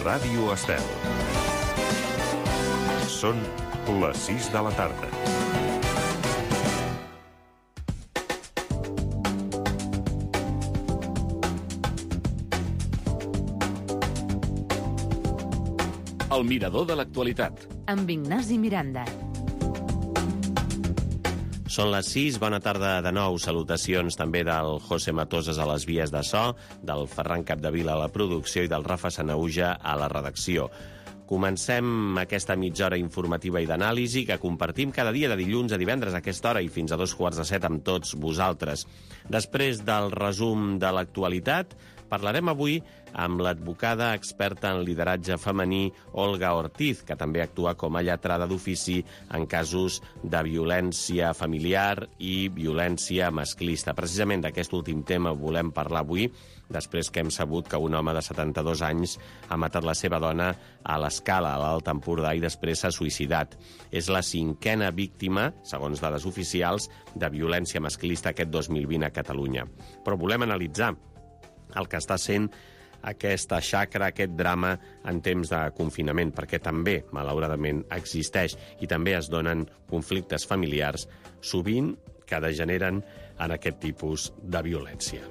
Ràdio Estel. Són les 6 de la tarda. El mirador de l'actualitat. Amb Ignasi Miranda. Són les 6, bona tarda de nou. Salutacions també del José Matoses a les vies de so, del Ferran Capdevila a la producció i del Rafa Sanauja a la redacció. Comencem aquesta mitja hora informativa i d'anàlisi que compartim cada dia de dilluns a divendres a aquesta hora i fins a 6:45 amb tots vosaltres. Després del resum de l'actualitat, parlarem avui amb l'advocada experta en lideratge femení Olga Ortiz, que també actua com a lletrada d'ofici en casos de violència familiar i violència masclista. Precisament d'aquest últim tema volem parlar avui, després que hem sabut que un home de 72 anys ha matat la seva dona a l'Escala, a l'Alt Empordà, i després s'ha suïcidat. És la 5a víctima, segons dades oficials, de violència masclista aquest 2020 a Catalunya. Però volem analitzar el que està sent aquesta xacra, aquest drama en temps de confinament, perquè també, malauradament, existeix i també es donen conflictes familiars, sovint que degeneren en aquest tipus de violència.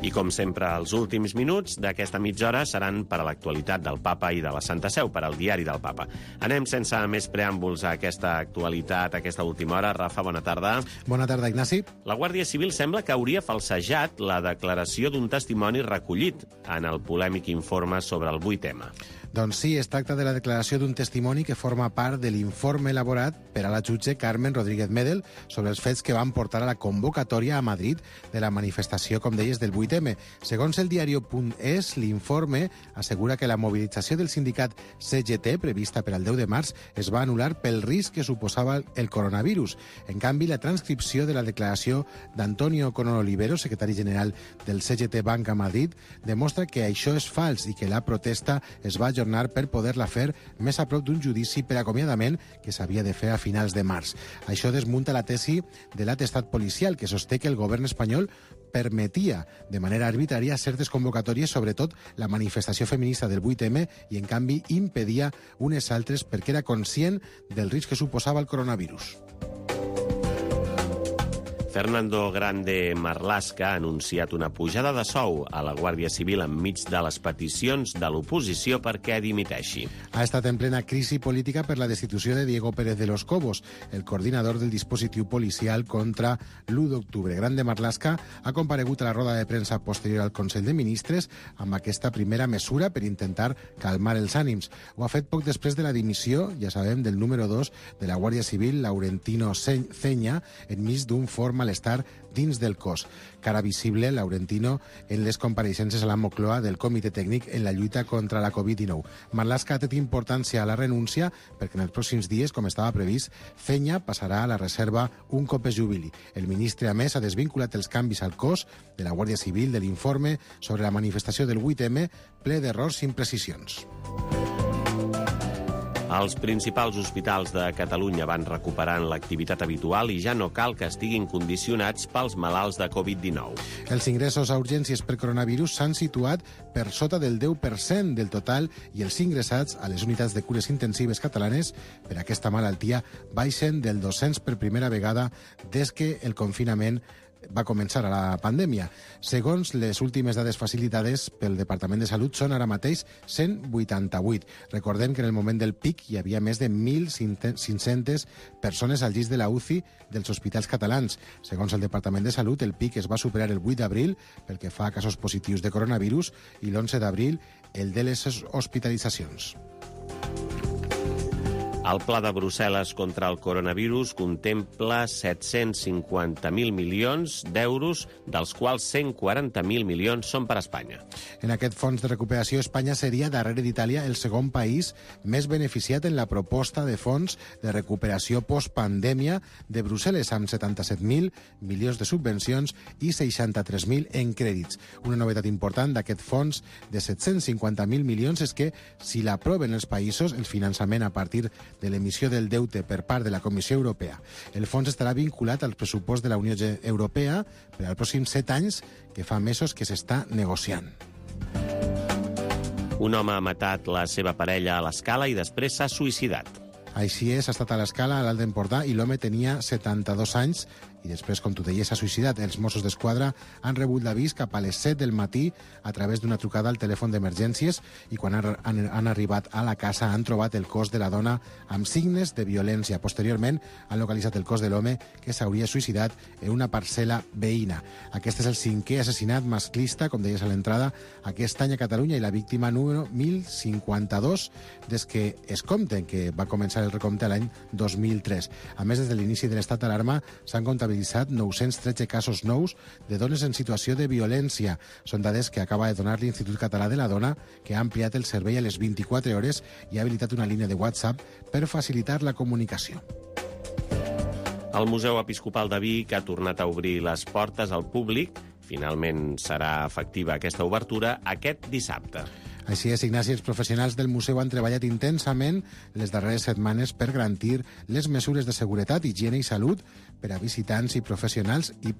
I com sempre, els últims minuts d'aquesta mitja hora seran per a l'actualitat del Papa i de la Santa Seu, per al diari del Papa. Anem sense més preàmbuls a aquesta actualitat, a aquesta última hora. Rafa, bona tarda. Bona tarda, Ignasi. La Guàrdia Civil sembla que hauria falsejat la declaració d'un testimoni recollit en el polèmic informe sobre el 8M. Doncs sí, es tracta de la declaració d'un testimoni que forma part de l'informe elaborat per a la jutge Carmen Rodríguez Medel sobre els fets que van portar a la convocatòria a Madrid de la manifestació, com deies, del 8M. Segons el diario.es, l'informe assegura que la mobilització del sindicat CGT, prevista per al 10 de març, es va anul·lar pel risc que suposava el coronavirus. En canvi, la transcripció de la declaració d'Antonio Conol Olivero, secretari general del CGT Banca Madrid, demostra que això és fals i que la protesta es va ajornar per poder-la fer més a prop d'un judici per acomiadament que s'havia de fer a finals de març. Això desmunta la tesi de l'atestat policial, que sosté que el govern espanyol permetia de manera arbitrària certes convocatòries, sobretot la manifestació feminista del 8M, i en canvi impedia unes altres perquè era conscient del risc que suposava el coronavirus. Fernando Grande Marlaska ha anunciat una pujada de sou a la Guàrdia Civil enmig de les peticions de l'oposició perquè dimiteixi. Ha estat en plena crisi política per la destitució de Diego Pérez de los Cobos, el coordinador del dispositiu policial contra l'1 d'octubre. Grande Marlaska ha comparegut a la roda de premsa posterior al Consell de Ministres amb aquesta primera mesura per intentar calmar els ànims. Ho ha fet poc després de la dimissió, ja sabem, del número 2 de la Guàrdia Civil, Laurentino Ceña, enmig d'un fort malestar dins del cos. Cara visible, Laurentino, en les compareixences a la Moncloa del Comitè Tècnic en la lluita contra la Covid-19. Marlaska ha tret importància a la renúncia perquè en els pròxims dies, com estava previst, Ceña passarà a la reserva un cop es jubili. El ministre, a més, ha desvinculat els canvis al cos de la Guàrdia Civil de l'informe sobre la manifestació del 8M, ple d'errors i imprecisions. Els principals hospitals de Catalunya van recuperant l'activitat habitual i ja no cal que estiguin condicionats pels malalts de Covid-19. Els ingressos a urgències per coronavirus s'han situat per sota del 10% del total i els ingressats a les unitats de cures intensives catalanes per aquesta malaltia baixen del 200 per primera vegada des que el confinament va començar a la pandèmia. Segons les últimes dades facilitades pel Departament de Salut, són ara mateix 188. Recordem que en el moment del pic hi havia més de 1.500 persones al llit de la UCI dels hospitals catalans. Segons el Departament de Salut, el pic es va superar el 8 d'abril pel que fa a casos positius de coronavirus i l'11 d'abril el de les hospitalitzacions. El pla de Brussel·les contra el coronavirus contempla 750.000 milions d'euros, dels quals 140.000 milions són per a Espanya. En aquest fons de recuperació, Espanya seria, darrere d'Itàlia, el segon país més beneficiat en la proposta de fons de recuperació postpandèmia de Brussel·les, amb 77.000 milions de subvencions i 63.000 en crèdits. Una novetat important d'aquest fons de 750.000 milions és que, si l'aproven els països, el finançament a partir de l'emissió del deute per part de la Comissió Europea. El fons estarà vinculat al pressupost de la Unió Europea per als pròxims 7 anys, que fa mesos que s'està negociant. Un home ha matat la seva parella a l'Escala i després s'ha suïcidat. Així és, ha estat a l'Escala, a l'Alt Empordà, i l'home tenia 72 anys i després, com tu deies, s'ha suïcidat. Els Mossos d'Esquadra han rebut l'avís cap a les 7 del matí a través d'una trucada al telèfon d'emergències i quan han arribat a la casa han trobat el cos de la dona amb signes de violència. Posteriorment han localitzat el cos de l'home que s'hauria suïcidat en una parcel·la veïna. Aquest és el 5è assassinat masclista, com deies a l'entrada, aquest any a Catalunya i la víctima número 1052 des que es compten, que va començar el recompte l'any 2003. A més, des de l'inici de l'estat d'alarma s'han comptabilitzat 913 casos nous de dones en situació de violència. Són dades que acaba de donar l'Institut Català de la Dona, que ha ampliat el servei a les 24 hores i ha habilitat una línia de WhatsApp per facilitar la comunicació. El Museu Episcopal de Vic ha tornat a obrir les portes al públic. Finalment serà efectiva aquesta obertura aquest dissabte. Així és, Ignasi, els professionals del museu han treballat intensament les darreres setmanes per garantir les mesures de seguretat, higiene i salut per a visitants i professionals i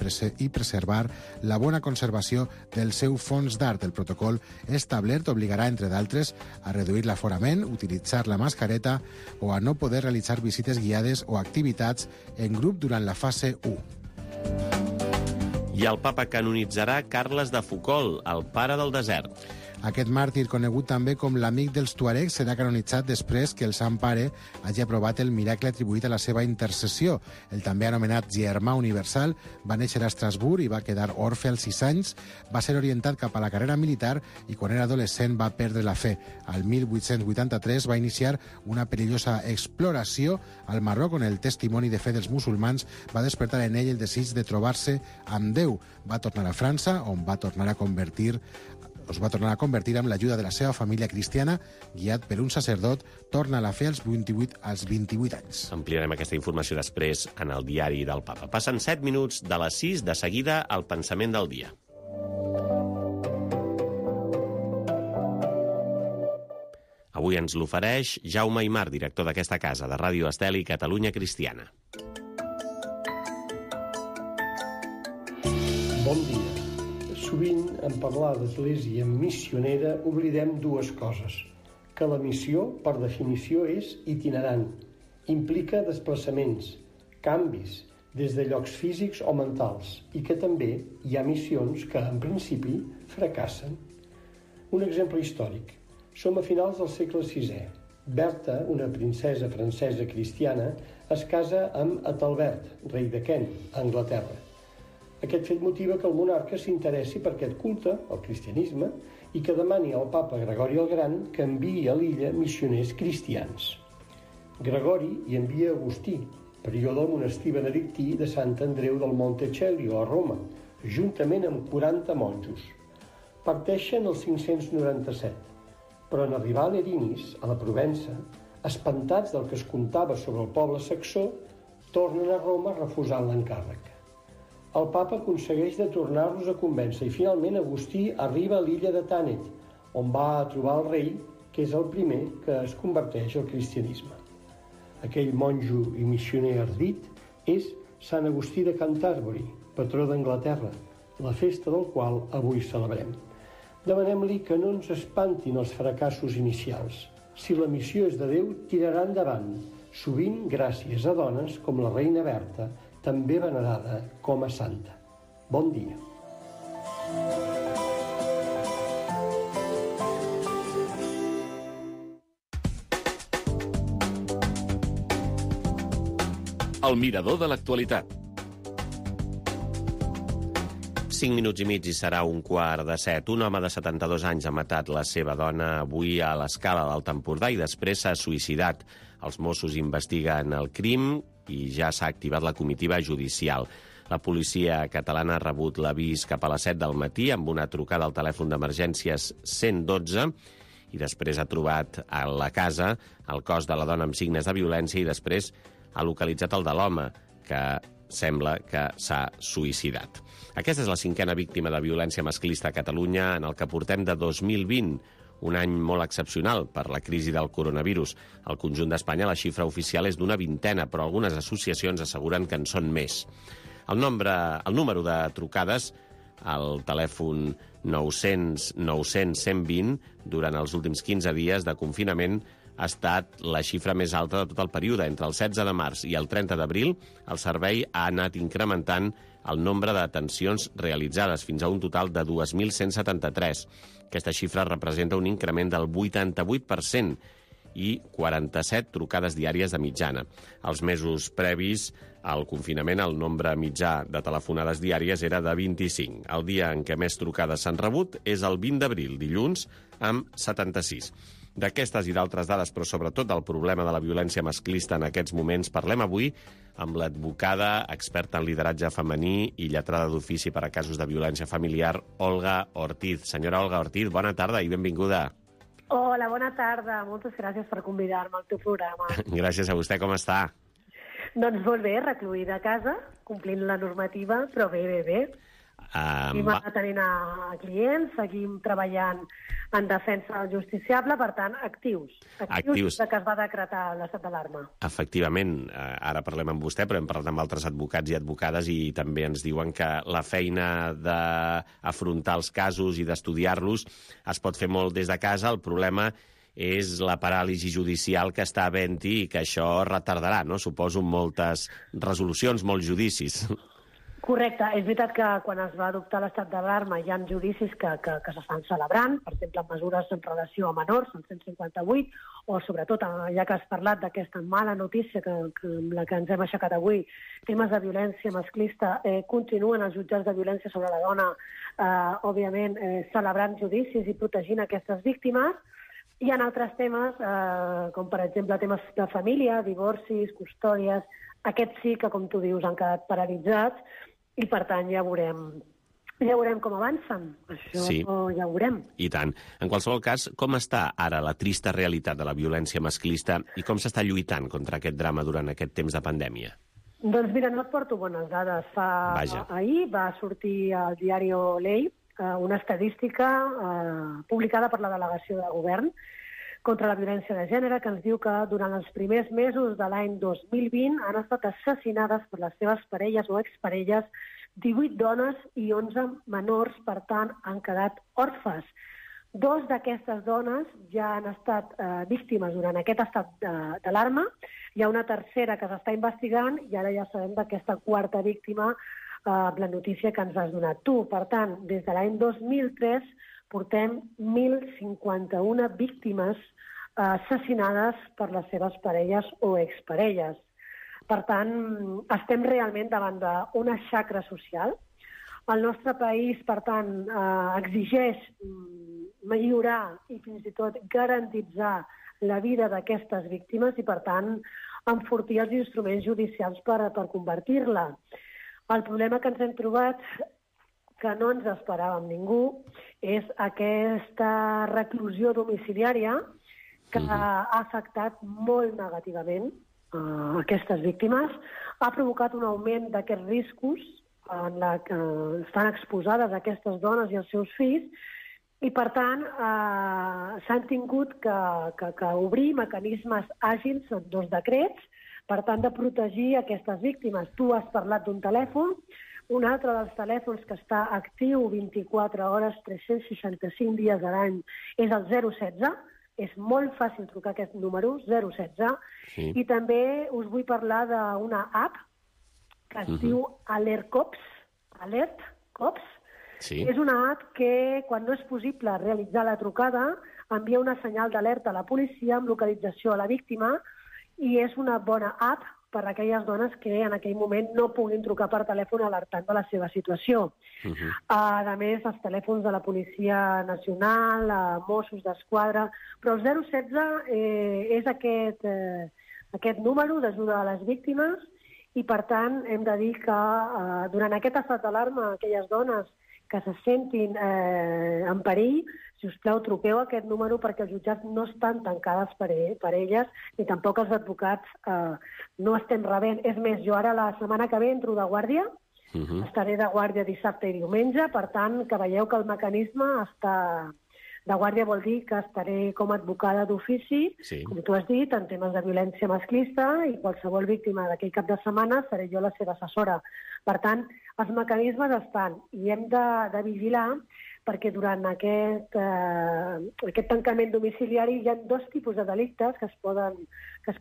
preservar la bona conservació del seu fons d'art. El protocol establert obligarà, entre d'altres, a reduir l'aforament, utilitzar la mascareta o a no poder realitzar visites guiades o activitats en grup durant la fase 1. I el papa canonitzarà Carles de Foucauld, el pare del desert. Aquest màrtir, conegut també com l'amic dels tuaregs, serà canonitzat després que el Sant Pare hagi aprovat el miracle atribuït a la seva intercessió. El també anomenat Germà Universal va néixer a Estrasburg i va quedar orfe als 6 anys. Va ser orientat cap a la carrera militar i quan era adolescent va perdre la fe. Al 1883 va iniciar una perillosa exploració al Marroc on el testimoni de fe dels musulmans va despertar en ell el desig de trobar-se amb Déu. Va tornar a França, on es va tornar a convertir amb l'ajuda de la seva família cristiana, guiat per un sacerdot, torna a la fe als 28 anys. Ampliarem aquesta informació després en el diari del Papa. Passen 7 minuts de les 6, de seguida el pensament del dia. Avui ens l'ofereix Jaume Aymar, director d'aquesta casa, de Ràdio Estel i Catalunya Cristiana. Bon dia. Sovint, en parlar d'església missionera, oblidem dues coses. Que la missió, per definició, és itinerant. Implica desplaçaments, canvis, des de llocs físics o mentals, i que també hi ha missions que, en principi, fracassen. Un exemple històric. Som a finals del segle VI. Berta, una princesa francesa cristiana, es casa amb Ethelbert, rei de Kent, a Anglaterra. Aquest fet motiva que el monarca s'interessi per aquest culte, el cristianisme, i que demani al papa Gregori el Gran que enviï a l'illa missioners cristians. Gregori hi envia Agustí, prior del monestir benedictí de Sant Andreu del Monte Celio, a Roma, juntament amb 40 monjos. Parteixen el 597, però en arribar a Lerinis, a la Provença, espantats del que es contava sobre el poble saxó, tornen a Roma refusant l'encàrrec. El papa aconsegueix de tornar-los a convèncer i finalment Agustí arriba a l'illa de Tànet, on va a trobar el rei, que és el primer que es converteix al cristianisme. Aquell monjo i missioner ardit és Sant Agustí de Canterbury, patró d'Anglaterra, la festa del qual avui celebrem. Demanem-li que no ens espantin els fracassos inicials. Si la missió és de Déu, tirarà endavant, sovint gràcies a dones com la reina Berta, també venerada com a santa. Bon dia. El mirador de l'actualitat. 5 minuts i mig i serà 6:15. Un home de 72 anys ha matat la seva dona avui a l'Escala d'Alt Empordà i després s'ha suïcidat. Els Mossos investiguen el crim i ja s'ha activat la comitiva judicial. La policia catalana ha rebut l'avís cap a les 7 del matí amb una trucada al telèfon d'emergències 112 i després ha trobat a la casa el cos de la dona amb signes de violència i després ha localitzat el de l'home, que sembla que s'ha suïcidat. Aquesta és la 5a víctima de violència masclista a Catalunya en el que portem de 2020, un any molt excepcional per la crisi del coronavirus. Al conjunt d'Espanya la xifra oficial és d'una vintena, però algunes associacions asseguren que en són més. El número de trucades al telèfon 900 900 120 durant els últims 15 dies de confinament ha estat la xifra més alta de tot el període. Entre el 16 de març i el 30 d'abril, el servei ha anat incrementant el nombre d'atencions realitzades fins a un total de 2.173. Aquesta xifra representa un increment del 88% i 47 trucades diàries de mitjana. Els mesos previs al confinament, el nombre mitjà de telefonades diàries era de 25. El dia en què més trucades s'han rebut és el 20 d'abril, dilluns, amb 76. D'aquestes i d'altres dades, però sobretot del problema de la violència masclista en aquests moments, parlem avui amb l'advocada, experta en lideratge femení i lletrada d'ofici per a casos de violència familiar, Olga Ortiz. Senyora Olga Ortiz, bona tarda i benvinguda. Hola, bona tarda. Moltes gràcies per convidar-me al teu programa. Gràcies a vostè. Com està? Doncs molt bé, recluïda a casa, complint la normativa, però bé. Seguim atenent a clients, seguim treballant en defensa del justiciable, per tant, actius de que es va decretar l'estat d'alarma. Efectivament, ara parlem amb vostè, però hem parlat amb altres advocats i advocades i també ens diuen que la feina d'afrontar els casos i d'estudiar-los es pot fer molt des de casa. El problema és la paràlisi judicial que està havent-hi i que això retardarà, no? Suposo moltes resolucions, molts judicis. Correcte. És veritat que quan es va adoptar l'estat d'alarma hi ha judicis que s'estan celebrant, per exemple, mesures en relació a menors, el 158, o sobretot, ja que has parlat d'aquesta mala notícia amb la que ens hem aixecat avui, temes de violència masclista, continuen els jutjats de violència sobre la dona, òbviament, celebrant judicis i protegint aquestes víctimes. Hi ha altres temes, com per exemple temes de família, divorcis, custòdies. Aquests sí que, com tu dius, han quedat paralitzats i, per tant, ja veurem com avancen. Això sí. Ja ho veurem. I tant. En qualsevol cas, com està ara la trista realitat de la violència masclista i com s'està lluitant contra aquest drama durant aquest temps de pandèmia? Doncs mira, no et porto bones dades. Ahir va sortir al diari Ley una estadística publicada per la delegació de govern contra la violència de gènere, que ens diu que durant els primers mesos de l'any 2020 han estat assassinades per les seves parelles o exparelles 18 dones i 11 menors, per tant, han quedat orfes. 2 d'aquestes dones ja han estat víctimes durant aquest estat d'alarma. Hi ha una tercera que s'està investigant i ara ja sabem d'aquesta quarta víctima, la notícia que ens has donat tu. Per tant, des de l'any 2003 portem 1.051 víctimes assassinades per les seves parelles o exparelles. Per tant, estem realment davant d'una xacra social. El nostre país, per tant, exigeix millorar i fins i tot garantitzar la vida d'aquestes víctimes i, per tant, enfortir els instruments judicials per convertir-la. El problema que ens hem trobat, que no ens esperàvem ningú, és aquesta reclusió domiciliària que ha afectat molt negativament aquestes víctimes, ha provocat un augment d'aquests riscos en la que estan exposades aquestes dones i els seus fills i, per tant, s'han tingut que obrir mecanismes àgils en 2 decrets per tant de protegir aquestes víctimes. Tu has parlat d'un telèfon. Un altre dels telèfons que està actiu 24 hores, 365 dies a l'any és el 016. És molt fàcil trucar aquest número, 016. Sí. I també us vull parlar d'una app que es diu Alert Cops. Sí. És una app que, quan no és possible realitzar la trucada, envia una senyal d'alerta a la policia amb localització a la víctima i és una bona app per a aquelles dones que en aquell moment no puguin trucar per telèfon alertant de la seva situació. A més, els telèfons de la Policia Nacional, Mossos d'Esquadra, però el 016 és aquest número d'ajuda a les víctimes i, per tant, hem de dir que durant aquest estat d'alarma, aquelles dones que se sentin en perill, si us plau, truqueu aquest número perquè els jutjats no estan tancades per elles, ni tampoc els advocats no estem rebent. És més, jo ara la setmana que ve entro de guàrdia, estaré de guàrdia dissabte i diumenge, per tant, que veieu que el mecanisme està De guàrdia vol dir que estaré com a advocada d'ofici, com tu has dit, en temes de violència masclista, i qualsevol víctima d'aquell cap de setmana seré jo la seva assessora. Per tant, els mecanismes estan i hem de vigilar perquè durant aquest tancament domiciliari hi ha dos tipus de delictes que es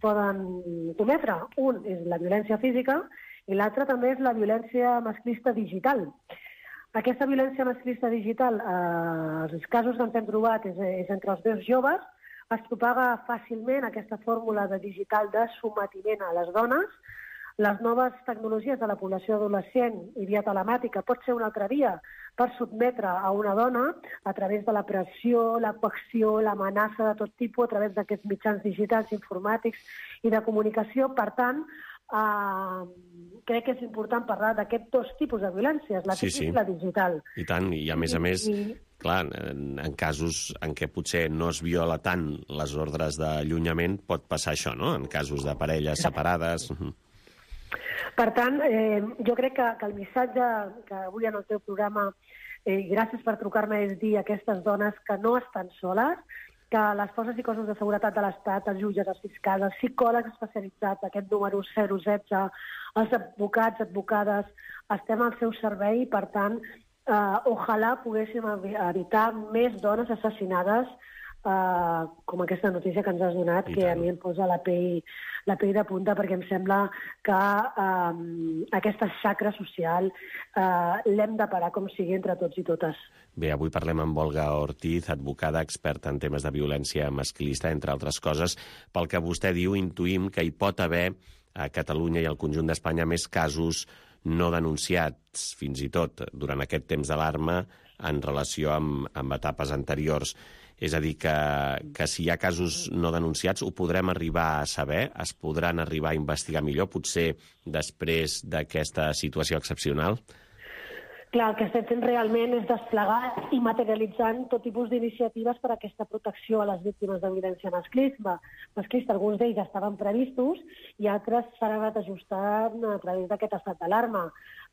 poden cometre. Un és la violència física i l'altre també és la violència masclista digital. Aquesta violència masclista digital, els casos que ens hem trobat és entre els dos joves, es propaga fàcilment aquesta fórmula de digital de sometiment a les dones. Les noves tecnologies de la població adolescent i via telemàtica pot ser una altra via per sotmetre a una dona a través de la pressió, la coacció, l'amenaça de tot tipus, a través d'aquests mitjans digitals, informàtics i de comunicació. Per tant, crec que és important parlar d'aquests dos tipus de violències, la física i la digital. I tant, i a més, clar, en casos en què potser no es viola tant les ordres d'allunyament, pot passar això, no?, en casos de parelles separades. Per tant, jo crec que el missatge que avui en el teu programa, gràcies per trucar-me, és dir a aquestes dones que no estan soles, que les forces i cossos de seguretat de l'Estat, els jutges, els fiscals, els psicòlegs especialitzats, aquest número 016, els advocats, advocades, estem al seu servei i, per tant, ojalà poguéssim evitar més dones assassinades com aquesta notícia que ens has donat, que a mi em posa la pell de punta, perquè em sembla que aquesta xacra social l'hem de parar com sigui entre tots i totes. Bé, avui parlem amb Olga Ortiz, advocada experta en temes de violència masclista, entre altres coses. Pel que vostè diu, intuïm que hi pot haver a Catalunya i al conjunt d'Espanya més casos no denunciats, fins i tot durant aquest temps d'alarma, en relació amb etapes anteriors. És a dir, que si hi ha casos no denunciats ho podrem arribar a saber, es podran arribar a investigar millor, potser després d'aquesta situació excepcional? Clar, el que estem fent realment és desplegar i materialitzant tot tipus d'iniciatives per a aquesta protecció a les víctimes de violència masclista. Alguns d'ells estaven previstos i altres s'han anat ajustant a través d'aquest estat d'alarma.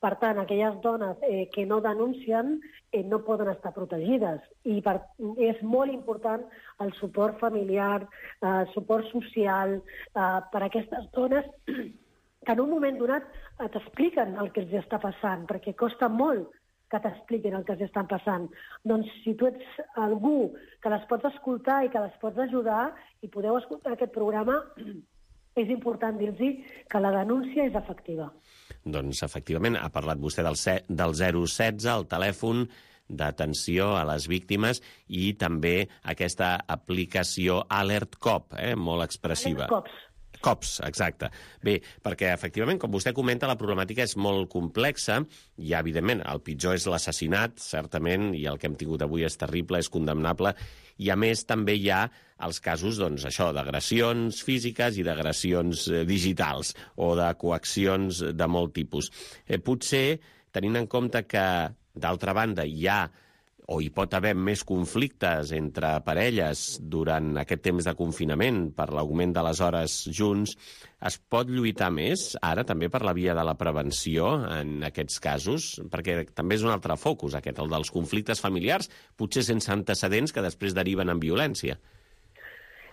Per tant, aquelles dones que no denuncien no poden estar protegides. I és molt important el suport familiar, el suport social per a aquestes dones que en un moment donat t'expliquen el que els està passant, perquè costa molt que t'expliquin el que els estan passant. Doncs si tu ets algú que les pots escoltar i que les pots ajudar i podeu escoltar aquest programa, és important dir-los que la denúncia és efectiva. Doncs, efectivament, ha parlat vostè del 016, el telèfon d'atenció a les víctimes, i també aquesta aplicació Alert Cop, molt expressiva. Cops, exacte. Bé, perquè, efectivament, com vostè comenta, la problemàtica és molt complexa. Hi ha, evidentment, el pitjor és l'assassinat, certament, i el que hem tingut avui és terrible, és condemnable. I, a més, també hi ha els casos, doncs, això, d'agressions físiques i d'agressions digitals o de coaccions de molt tipus. Potser, tenint en compte que, d'altra banda, hi ha o hi pot haver més conflictes entre parelles durant aquest temps de confinament per l'augment de les hores junts, es pot lluitar més ara també per la via de la prevenció en aquests casos? Perquè també és un altre focus aquest, el dels conflictes familiars, potser sense antecedents que després deriven en violència.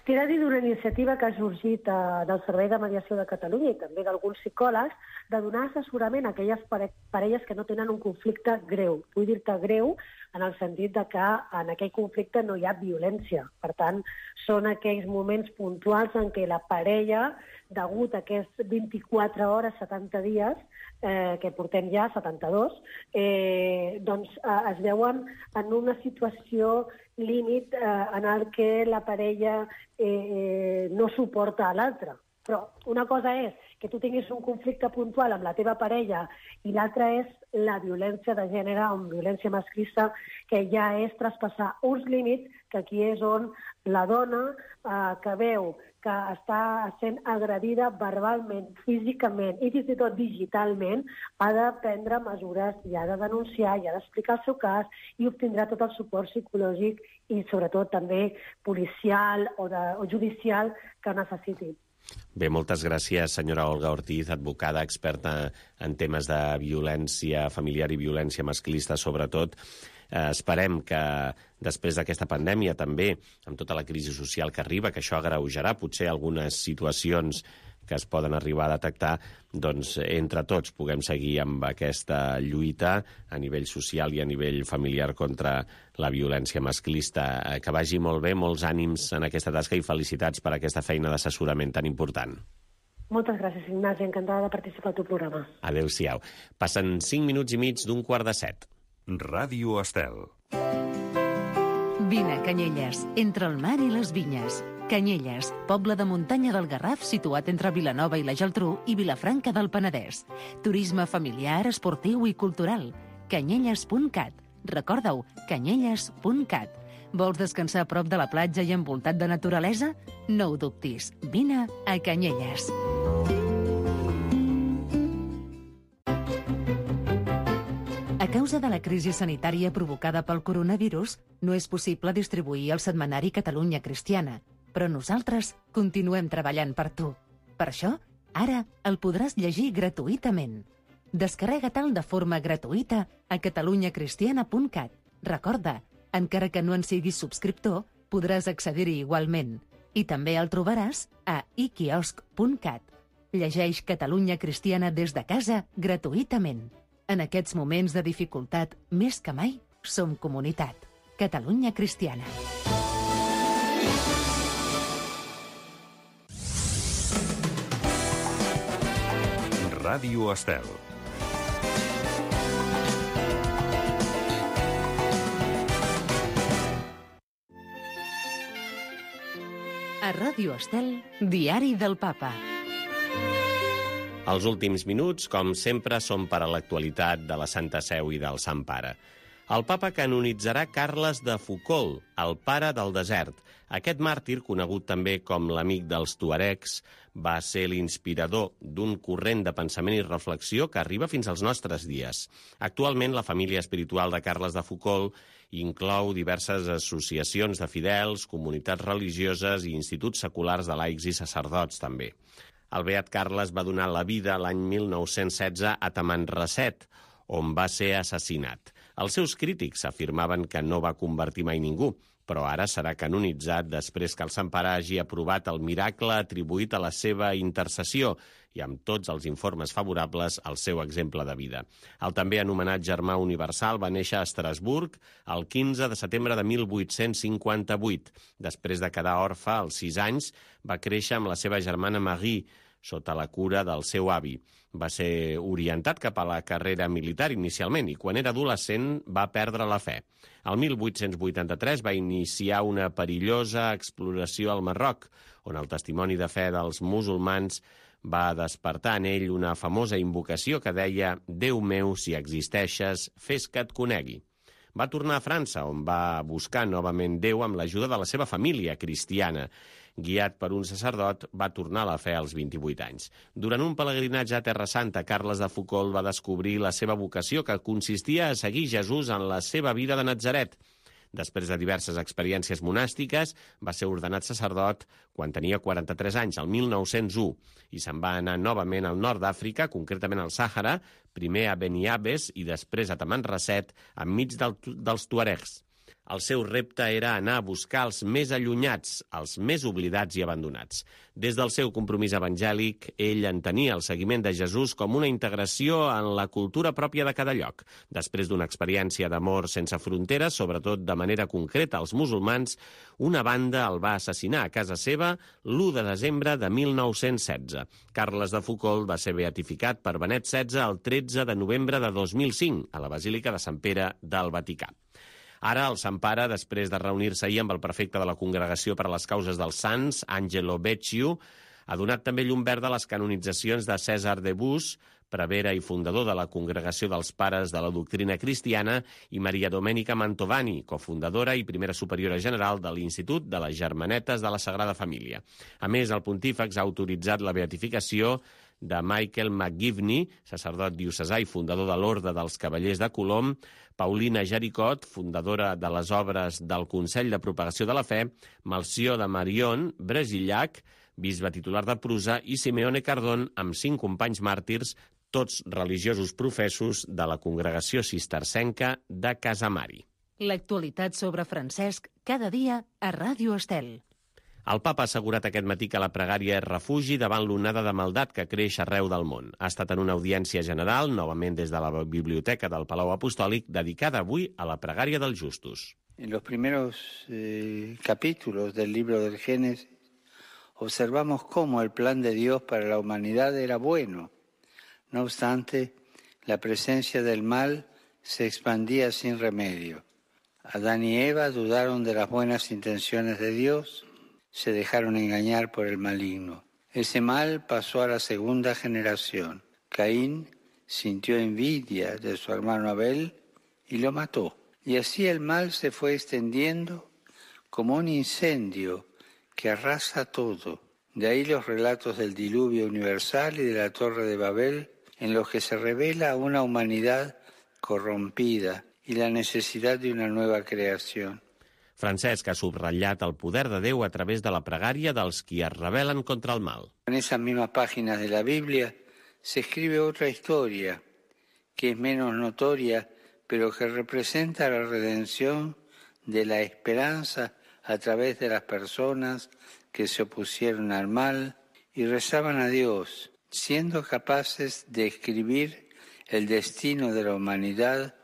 T'he de dir d'una iniciativa que ha sorgit del Servei de Mediació de Catalunya i també d'alguns psicòlegs, de donar assessorament a aquelles parelles que no tenen un conflicte greu. Vull dir-te greu en el sentit de que en aquell conflicte no hi ha violència. Per tant, són aquells moments puntuals en què la parella, degut a aquests 24 hores, 70 dies, que portem ja, 72, doncs es veuen en una situació límit en el que la parella no suporta a l'altra. Però una cosa és que tu tinguis un conflicte puntual amb la teva parella i l'altra és la violència de gènere o violència masclista, que ja és traspassar uns límits, que aquí és on la dona que veu que està sent agredida verbalment, físicament i fins i tot digitalment, ha de prendre mesures i ha de denunciar, i ha d'explicar el seu cas i obtindrà tot el suport psicològic i sobretot també policial o judicial que necessiti. Bé, moltes gràcies, senyora Olga Ortiz, advocada, experta en temes de violència familiar i violència masclista, sobretot. Esperem que després d'aquesta pandèmia també, amb tota la crisi social que arriba, que això agreujarà potser algunes situacions que es poden arribar a detectar, doncs entre tots puguem seguir amb aquesta lluita a nivell social i a nivell familiar contra la violència masclista. Que vagi molt bé, molts ànims en aquesta tasca i felicitats per aquesta feina d'assessorament tan important. Moltes gràcies, Ignasi. Encantada de participar al teu programa. Adéu-siau. Passen 5 minuts i mig d'15:45. Ràdio Estel. Vine a Canyelles, entre el mar i les vinyes. Canyelles, poble de muntanya del Garraf situat entre Vilanova i la Geltrú i Vilafranca del Penedès. Turisme familiar, esportiu i cultural. Canyelles.cat. Recorda-ho, canyelles.cat. Vols descansar a prop de la platja i envoltat de naturalesa? No ho dubtis. Vine a Canyelles. A causa de la crisi sanitària provocada pel coronavirus, no és possible distribuir el setmanari Catalunya Cristiana, però nosaltres continuem treballant per tu. Per això, ara el podràs llegir gratuïtament. Descarrega-te'l de forma gratuïta a catalunyacristiana.cat. Recorda, encara que no en siguis subscriptor, podràs accedir-hi igualment. I també el trobaràs a iquiosc.cat. Llegeix Catalunya Cristiana des de casa gratuïtament. En aquests moments de dificultat, més que mai, som comunitat. Catalunya Cristiana. Ràdio Estel. A Ràdio Estel, Diari del Papa. Els últims minuts, com sempre, són per a l'actualitat de la Santa Seu i del Sant Pare. El papa canonitzarà Carles de Foucauld, el pare del desert. Aquest màrtir, conegut també com l'amic dels tuaregs, va ser l'inspirador d'un corrent de pensament i reflexió que arriba fins als nostres dies. Actualment, la família espiritual de Carles de Foucauld inclou diverses associacions de fidels, comunitats religioses i instituts seculars de laics i sacerdots, també. El beat Carles va donar la vida l'any 1916 a Tamanrasset, on va ser assassinat. Els seus crítics afirmaven que no va convertir mai ningú, però ara serà canonitzat després que el Sant Pare hagi aprovat el miracle atribuït a la seva intercessió i amb tots els informes favorables al seu exemple de vida. El també anomenat Germà Universal va néixer a Estrasburg el 15 de setembre de 1858. Després de quedar orfe als 6 anys, va créixer amb la seva germana Marie, sota la cura del seu avi. Va ser orientat cap a la carrera militar inicialment i quan era adolescent va perdre la fe. El 1883 va iniciar una perillosa exploració al Marroc, on el testimoni de fe dels musulmans va despertar en ell una famosa invocació que deia «Déu meu, si existeixes, fes que et conegui». Va tornar a França, on va buscar novament Déu amb l'ajuda de la seva família cristiana. Guiat per un sacerdot, va tornar a la fe als 28 anys. Durant un pelegrinatge a Terra Santa, Carles de Foucauld va descobrir la seva vocació, que consistia a seguir Jesús en la seva vida de Natzaret. Després de diverses experiències monàstiques, va ser ordenat sacerdot quan tenia 43 anys, el 1901, i se'n va anar novament al nord d'Àfrica, concretament al Sàhara, primer a Beniabes i després a Tamanrasset, enmig dels tuaregs. El seu repte era anar a buscar els més allunyats, els més oblidats i abandonats. Des del seu compromís evangèlic, ell entenia el seguiment de Jesús com una integració en la cultura pròpia de cada lloc. Després d'una experiència d'amor sense fronteres, sobretot de manera concreta als musulmans, una banda el va assassinar a casa seva l'1 de desembre de 1916. Carles de Foucauld va ser beatificat per Benet XVI el 13 de novembre de 2005 a la Basílica de Sant Pere del Vaticà. Ara, el Sant Pare, després de reunir-se ahir amb el prefecte de la Congregació per a les Causes dels Sants, Angelo Becciu, ha donat també llum verda a les canonitzacions de César de Bus, prevere i fundador de la Congregació dels Pares de la Doctrina Cristiana, i Maria Domenica Mantovani, cofundadora i primera superiora general de l'Institut de les Germanetes de la Sagrada Família. A més, el pontífex ha autoritzat la beatificació de Michael McGivney, sacerdot diocesà i fundador de l'Orde dels Cavallers de Colom, Paulina Jaricot, fundadora de les obres del Consell de Propagació de la Fe, Melcior de Marion, brasillac, bisbe titular de Prusa, i Simeone Cardón, amb 5 companys màrtirs, tots religiosos professos de la congregació cistercenca de Casamari. L'actualitat sobre Francesc cada dia a Ràdio Estel. El papa ha assegurat aquest matí que la pregària és refugi davant l'onada de maldat que creix arreu del món. Ha estat en una audiència general, novament des de la Biblioteca del Palau Apostòlic, dedicada avui a la pregària dels justos. En los primeros capítulos del libro del Génesis observamos cómo el plan de Dios para la humanidad era bueno. No obstante, la presencia del mal se expandía sin remedio. Adán y Eva dudaron de las buenas intenciones de Dios, se dejaron engañar por el maligno. Ese mal pasó a la segunda generación. Caín sintió envidia de su hermano Abel y lo mató. Y así el mal se fue extendiendo como un incendio que arrasa todo. De ahí los relatos del diluvio universal y de la Torre de Babel, en los que se revela una humanidad corrompida y la necesidad de una nueva creación. Francesc ha subratllat el poder de Déu a través de la pregària dels qui es rebel·len contra el mal. En esas mismas páginas de la Biblia se escribe otra historia, que es menos notoria, pero que representa la redención de la esperanza a través de las personas que se opusieron al mal y rezaban a Dios, siendo capaces de escribir el destino de la humanidad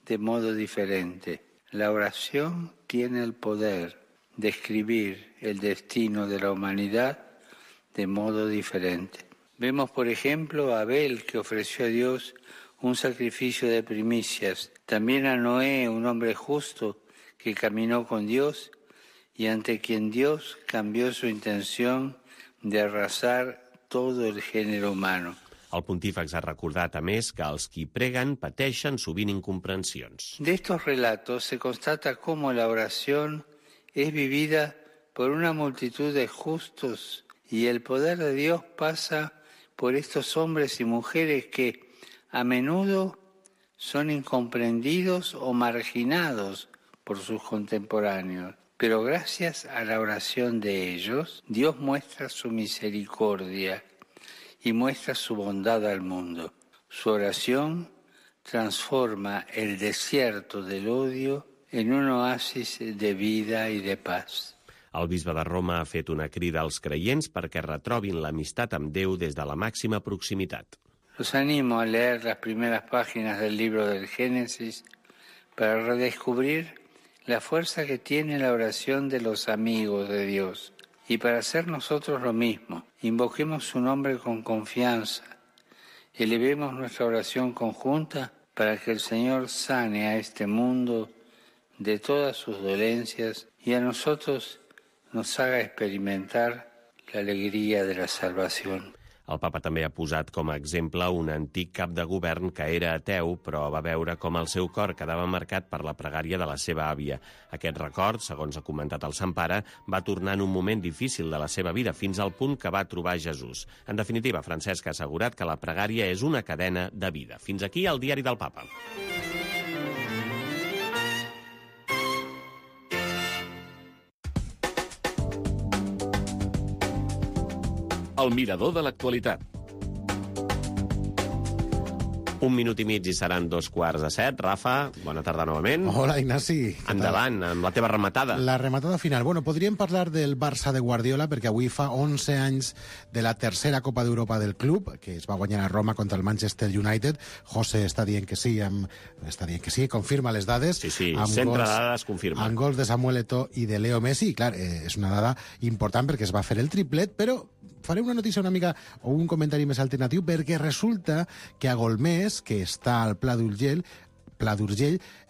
de modo diferente. La oración tiene el poder de escribir el destino de la humanidad de modo diferente. Vemos, por ejemplo, a Abel, que ofreció a Dios un sacrificio de primicias. También a Noé, un hombre justo que caminó con Dios y ante quien Dios cambió su intención de arrasar todo el género humano. El pontífex ha recordat, a més, que els qui preguen pateixen sovint incomprensions. De estos relatos se constata cómo la oración es vivida por una multitud de justos y el poder de Dios pasa por estos hombres y mujeres que a menudo son incomprendidos o marginados por sus contemporáneos. Pero gracias a la oración de ellos, Dios muestra su misericordia y muestra su bondad al mundo. Su oración transforma el desierto del odio en un oasis de vida y de paz. El bisbe de Roma ha fet una crida als creients perquè retrobin l'amistat amb Déu des de la màxima proximitat. Los animo a leer las primeras páginas del libro del Génesis para redescubrir la fuerza que tiene la oración de los amigos de Dios. Y para hacer nosotros lo mismo, invoquemos su nombre con confianza, elevemos nuestra oración conjunta para que el Señor sane a este mundo de todas sus dolencias y a nosotros nos haga experimentar la alegría de la salvación. El papa també ha posat com a exemple un antic cap de govern que era ateu, però va veure com el seu cor quedava marcat per la pregària de la seva àvia. Aquest record, segons ha comentat el Sant Pare, va tornar en un moment difícil de la seva vida, fins al punt que va trobar Jesús. En definitiva, Francesc ha assegurat que la pregària és una cadena de vida. Fins aquí el diari del papa. El mirador de l'actualitat. Un minut i mig i seran 2:15. Rafa, bona tarda novament. Hola, Ignasi. Endavant, amb la teva rematada. La rematada final. Bueno, podríem parlar del Barça de Guardiola, perquè avui fa 11 anys de la tercera Copa d'Europa del club, que es va guanyar a Roma contra el Manchester United. José està dient que sí, confirma les dades. Sí, centre de dades confirma. Amb gols de Samuel Eto'o i de Leo Messi. I, clar, és una dada important perquè es va fer el triplet, però faré una notícia una mica, o un comentari més alternatiu, perquè resulta que a Golmés, que està al Pla d'Urgell,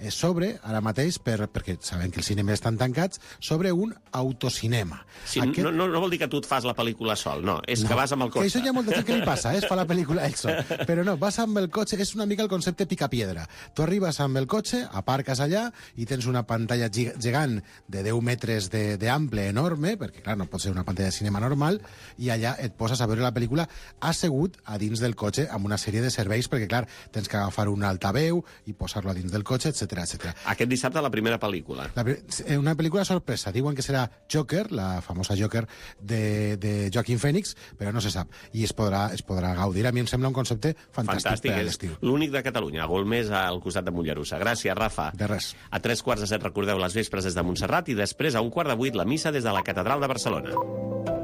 s'obre ara mateix, perquè sabem que els cinemes estan tancats, sobre un autocinema. Sí, no vol dir que tu et fas la pel·lícula sol, no, és que vas amb el cotxe. Això hi ha molta gent que li passa, es fa la pel·lícula ell sol. Però no, vas amb el cotxe, és una mica el concepte picapiedra. Tu arribes amb el cotxe, aparques allà i tens una pantalla gegant de 10 metres d'ample enorme, perquè clar, no pot ser una pantalla de cinema normal, i allà et poses a veure la pel·lícula assegut a dins del cotxe amb una sèrie de serveis, perquè clar, tens que agafar un altaveu i posar portar-lo a dins del cotxe, etc. Aquest dissabte la primera pel·lícula. Una pel·lícula sorpresa. Diuen que serà Joker, la famosa Joker de Joaquin Phoenix, però no se sap. I es podrà gaudir. A mi em sembla un concepte fantàstic per a l'estiu. L'únic de Catalunya, a Golmés, al costat de Mollerussa. Gràcies, Rafa. De res. A 3:15, recordeu les vespres des de Montserrat i després a 7:15 la missa des de la Catedral de Barcelona.